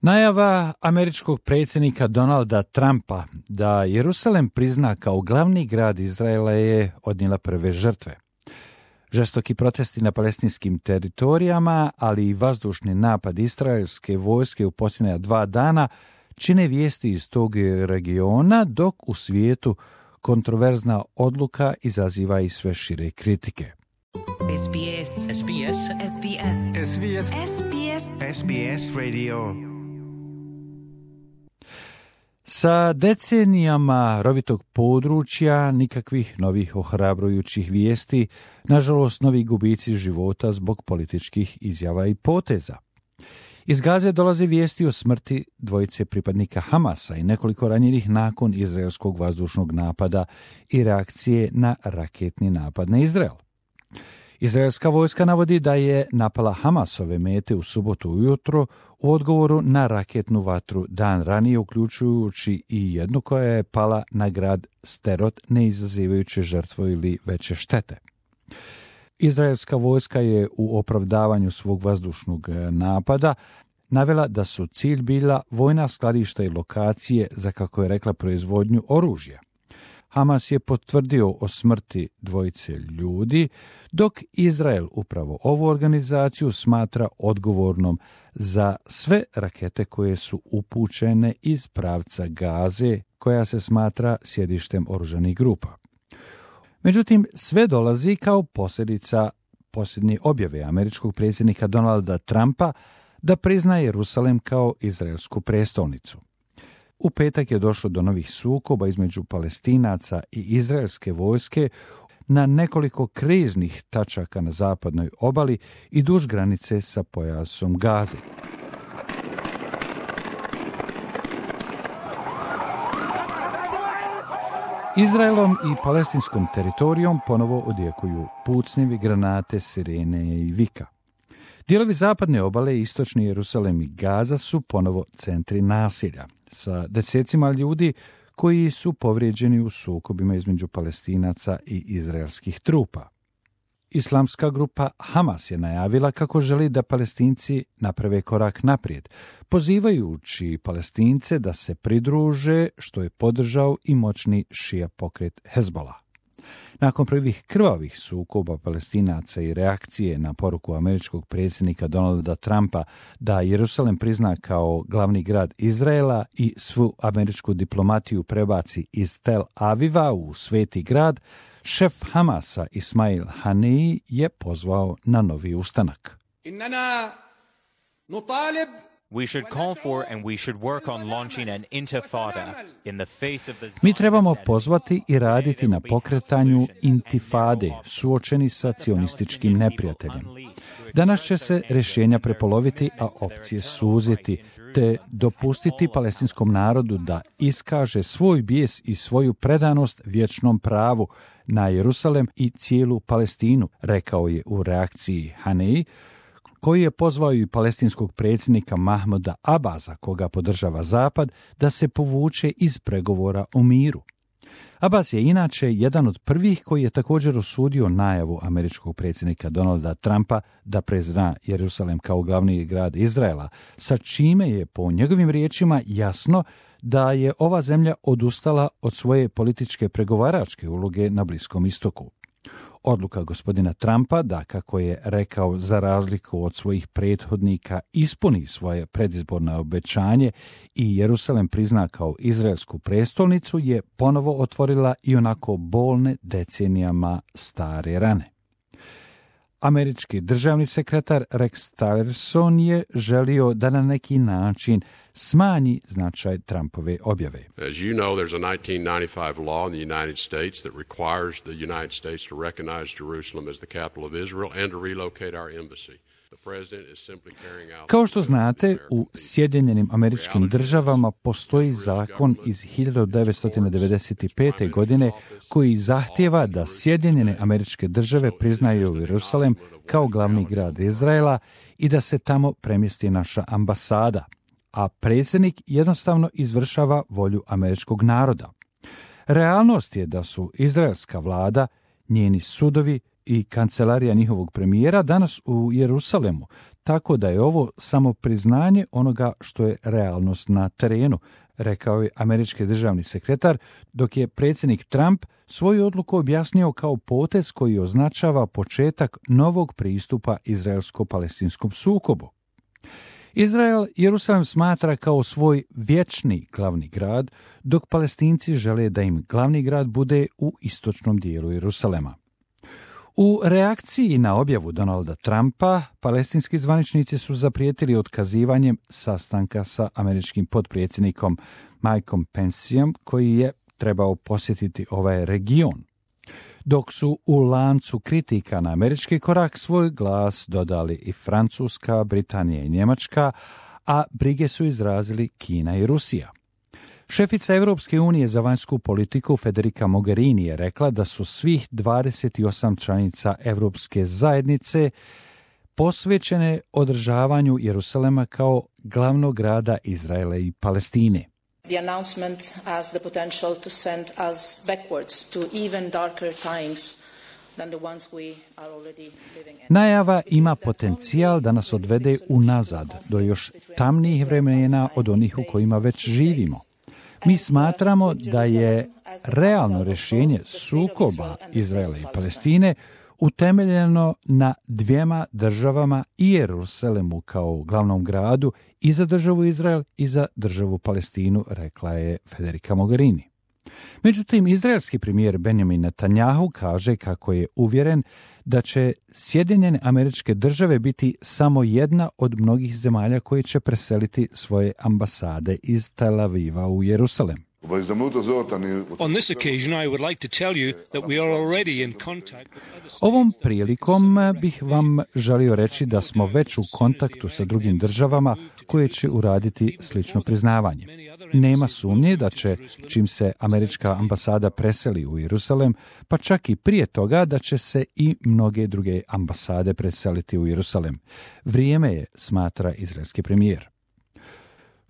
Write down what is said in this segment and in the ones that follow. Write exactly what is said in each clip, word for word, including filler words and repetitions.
Najava američkog predsjednika Donalda Trumpa da Jerusalem prizna kao glavni grad Izraela je odnijela prve žrtve. Žestoki protesti na palestinskim teritorijama, ali i vazdušni napad izraelske vojske u posljednja dva dana čine vijesti iz tog regiona, dok u svijetu kontroverzna odluka izaziva i sve šire kritike. S B S. S B S. S B S. S B S. S B S. S B S Radio. Sa decenijama rovitog područja, nikakvih novih ohrabrujućih vijesti, nažalost novi gubici života zbog političkih izjava i poteza. Iz Gaze dolaze vijesti o smrti dvojice pripadnika Hamasa i nekoliko ranjenih nakon izraelskog vazdušnog napada i reakcije na raketni napad na Izrael. Izraelska vojska navodi da je napala Hamasove mete u subotu ujutro u odgovoru na raketnu vatru dan ranije, uključujući i jednu koja je pala na grad Sderot, ne izazivajući žrtvu ili veće štete. Izraelska vojska je u opravdavanju svog vazdušnog napada navela da su cilj bila vojna skladišta i lokacije za, kako je rekla, proizvodnju oružja. Hamas je potvrdio o smrti dvojice ljudi, dok Izrael upravo ovu organizaciju smatra odgovornom za sve rakete koje su upućene iz pravca Gaze, koja se smatra sjedištem oružanih grupa. Međutim, sve dolazi kao posljedica posljednje objave američkog predsjednika Donalda Trumpa da prizna Jerusalem kao izraelsku prestolnicu. U petak je došlo do novih sukoba između Palestinaca i izraelske vojske na nekoliko kriznih tačaka na zapadnoj obali i duž granice sa pojasom Gaze. Izraelom i palestinskom teritorijom ponovo odjekuju pucnjevi, granate, sirene i vika. Dijelovi zapadne obale, istočni Jerusalem i Gaza su ponovo centri nasilja, sa desecima ljudi koji su povrijeđeni u sukobima između Palestinaca i izraelskih trupa. Islamska grupa Hamas je najavila kako želi da Palestinci naprave korak naprijed, pozivajući Palestince da se pridruže, što je podržao i moćni šija pokret Hezbollah. Nakon prvih krvavih sukoba Palestinaca i reakcije na poruku američkog predsjednika Donalda Trumpa da Jerusalem prizna kao glavni grad Izraela i svu američku diplomatiju prebaci iz Tel Aviva u sveti grad, šef Hamasa Ismail Haniyeh je pozvao na novi ustanak. Innana nutalib We should call for and we should work on launching an intifada in the face of the... Mi trebamo pozvati i raditi na pokretanju intifade, suočeni sa cionističkim neprijateljem. Danas će se rješenja prepoloviti, a opcije suziti, te dopustiti palestinskom narodu da iskaže svoj bijes i svoju predanost vječnom pravu na Jerusalem i cijelu Palestinu, rekao je u reakciji Haniyeh, koji je pozvao i palestinskog predsjednika Mahmuda Abasa, koga podržava Zapad, da se povuče iz pregovora o miru. Abbas je inače jedan od prvih koji je također osudio najavu američkog predsjednika Donalda Trumpa da prizna Jerusalem kao glavni grad Izraela, sa čime je po njegovim riječima jasno da je ova zemlja odustala od svoje političke pregovaračke uloge na Bliskom istoku. Odluka gospodina Trumpa da, kako je rekao, za razliku od svojih prethodnika ispuni svoje predizborno obećanje i Jerusalem prizna kao izraelsku prestolnicu, je ponovo otvorila i onako bolne decenijama stare rane. Američki državni sekretar Rex Tillerson je želio da na neki način smanji značaj Trumpove objave. As you know, there's a nineteen ninety-five law in the United States that requires the United States to recognize Jerusalem as the capital of Israel and to relocate our embassy. Kao što znate, u Sjedinjenim Američkim Državama postoji zakon iz hiljadu devetsto devedeset pete. godine koji zahtijeva da Sjedinjene Američke Države priznaju Jerusalem kao glavni grad Izraela i da se tamo premjesti naša ambasada, a predsjednik jednostavno izvršava volju američkog naroda. Realnost je da su izraelska vlada, njeni sudovi i kancelarija njihovog premijera danas u Jerusalemu, tako da je ovo samo priznanje onoga što je realnost na terenu, rekao je američki državni sekretar, dok je predsjednik Trump svoju odluku objasnio kao potez koji označava početak novog pristupa izraelsko-palestinskom sukobu. Izrael Jerusalem smatra kao svoj vječni glavni grad, dok Palestinci žele da im glavni grad bude u istočnom dijelu Jerusalema. U reakciji na objavu Donalda Trumpa, palestinski zvaničnici su zaprijetili otkazivanjem sastanka sa američkim potpredsjednikom Mikeom Penceom, koji je trebao posjetiti ovaj region. Dok su u lancu kritika na američki korak svoj glas dodali i Francuska, Britanija i Njemačka, a brige su izrazili Kina i Rusija. Šefica Europske unije za vanjsku politiku Federica Mogherini je rekla da su svih dvadeset osam članica Europske zajednice posvećene održavanju Jerusalema kao glavnog grada Izraela i Palestine. The announcement has the potential to send us backwards to even darker times than the ones we are already living in. Najava ima potencijal da nas odvede unazad do još tamnijih vremena od onih u kojima već živimo. Mi smatramo da je realno rješenje sukoba Izraela i Palestine utemeljeno na dvijema državama i Jerusalemu kao glavnom gradu i za državu Izrael i za državu Palestinu, rekla je Federica Mogherini. Međutim, izraelski premijer Benjamin Netanjahu kaže kako je uvjeren da će Sjedinjene Američke Države biti samo jedna od mnogih zemalja koje će preseliti svoje ambasade iz Tel Aviva u Jerusalem. On this occasion, I would like to tell you that we are already in contact with other states. Ovom prilikom bih vam želio reći da smo već u kontaktu sa drugim državama koje će uraditi slično priznavanje. Nema sumnje da će, čim se američka ambasada preseli u Jerusalem, pa čak i prije toga da će se i mnoge druge ambasade preseliti u Jerusalem. Vrijeme je, smatra izraelski premijer.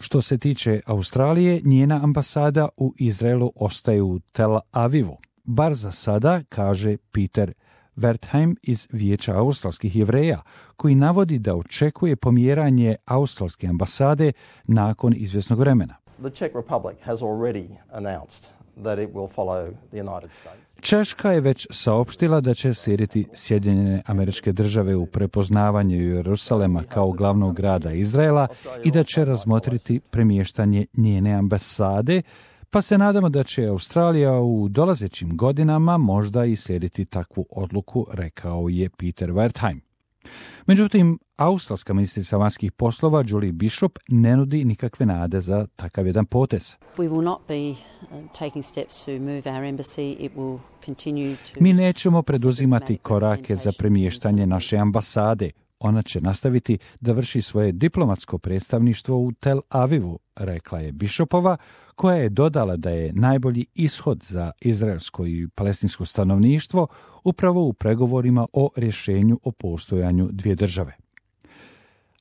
Što se tiče Australije, njena ambasada u Izraelu ostaje u Tel Avivu. Bar za sada, kaže Peter Wertheim iz Vijeća australskih Jevreja, koji navodi da očekuje pomjeranje australske ambasade nakon izvjesnog vremena. The Czech Republic has already announced that it will follow the United States. Češka je već saopštila da će slijediti Sjedinjene Američke Države u prepoznavanju Jerusalema kao glavnog grada Izraela i da će razmotriti premještanje njene ambasade, pa se nadamo da će Australija u dolazećim godinama možda i slijediti takvu odluku, rekao je Peter Wertheim. Međutim, australska ministrica vanjskih poslova Julie Bishop ne nudi nikakve nade za takav jedan potez. We will not be taking steps to move our embassy. It will continue to... Mi nećemo preduzimati korake za premještanje naše ambasade. Ona će nastaviti da vrši svoje diplomatsko predstavništvo u Tel Avivu, rekla je Bishopova, koja je dodala da je najbolji ishod za izraelsko i palestinsko stanovništvo upravo u pregovorima o rješenju o postojanju dvije države.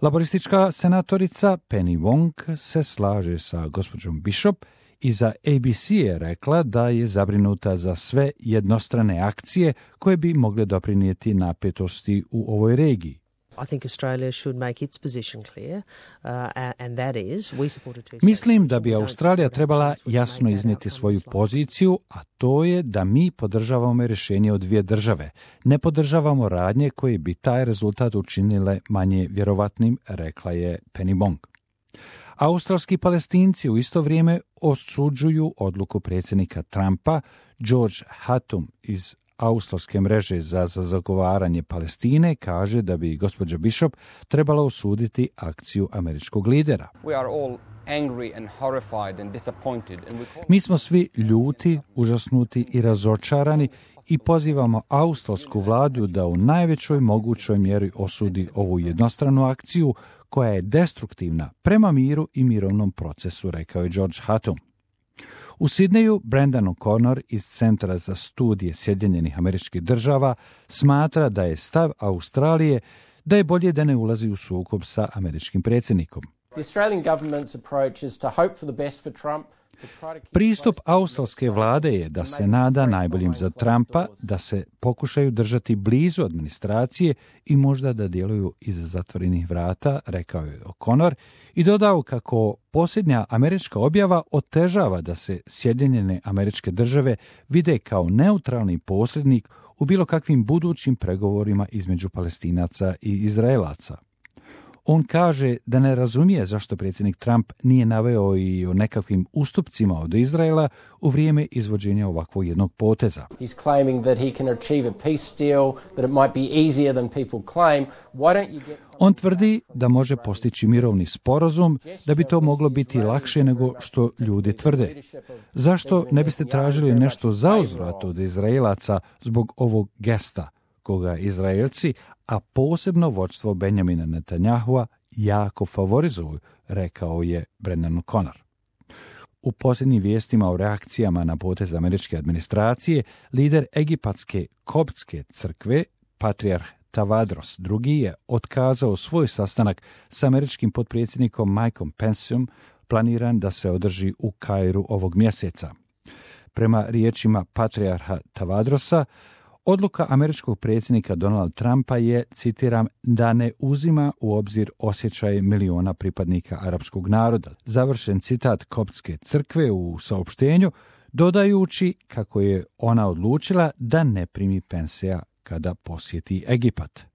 Laboristička senatorica Penny Wong se slaže sa gospođom Bishop i za A B C je rekla da je zabrinuta za sve jednostrane akcije koje bi mogle doprinijeti napetosti u ovoj regiji. I think Australia should make its position clear, uh, and that is we support a two-state Mislim da bi Australija trebala jasno iznijeti svoju poziciju, a to je da mi podržavamo rješenje od dvije države. Ne podržavamo radnje koje bi taj rezultat učinile manje vjerovatnim, rekla je Penny Wong. Australski Palestinci u isto vrijeme osuđuju odluku predsjednika Trumpa. George Hatum iz australske mreže za, za zagovaranje Palestine kaže da bi gospođa Bishop trebala osuditi akciju američkog lidera. We are all angry and horrified and disappointed and we call... Mi smo svi ljuti, užasnuti i razočarani i pozivamo australsku vladu da u najvećoj mogućoj mjeri osudi ovu jednostranu akciju koja je destruktivna prema miru i mirovnom procesu, rekao je George Hatum. U Sidneju Brendan O'Connor iz Centra za studije Sjedinjenih Američkih Država smatra da je stav Australije da je bolje da ne ulazi u sukob sa američkim predsjednikom. The Australian government's approach is to hope for the best for Trump. Pristup australske vlade je da se nada najboljim za Trumpa, da se pokušaju držati blizu administracije i možda da djeluju iza zatvorenih vrata, rekao je O'Connor, i dodao kako posljednja američka objava otežava da se Sjedinjene Američke Države vide kao neutralni posrednik u bilo kakvim budućim pregovorima između Palestinaca i Izraelaca. On kaže da ne razumije zašto predsjednik Trump nije naveo i o nekakvim ustupcima od Izraela u vrijeme izvođenja ovakvog jednog poteza. He's claiming that he can achieve a peace deal, that it might be easier than people claim. Why don't you get... On tvrdi da može postići mirovni sporazum, da bi to moglo biti lakše nego što ljudi tvrde. Zašto ne biste tražili nešto zauzvrat od Izraelaca zbog ovog gesta, koga Izraelci, a posebno vođstvo Benjamina Netanyahua, jako favorizuju, rekao je Brendan O'Connor. U posljednjim vijestima o reakcijama na potez američke administracije, lider egipatske koptske crkve, patrijarh Tavadros drugi je otkazao svoj sastanak s američkim potpredsjednikom Mikeom Penceom, planiran da se održi u Kairu ovog mjeseca. Prema riječima patrijarha Tavadrosa, odluka američkog predsjednika Donalda Trumpa je, citiram, da ne uzima u obzir osjećaje miliona pripadnika arapskog naroda. Završen citat koptske crkve u saopštenju, dodajući kako je ona odlučila da ne primi Pencea kada posjeti Egipat.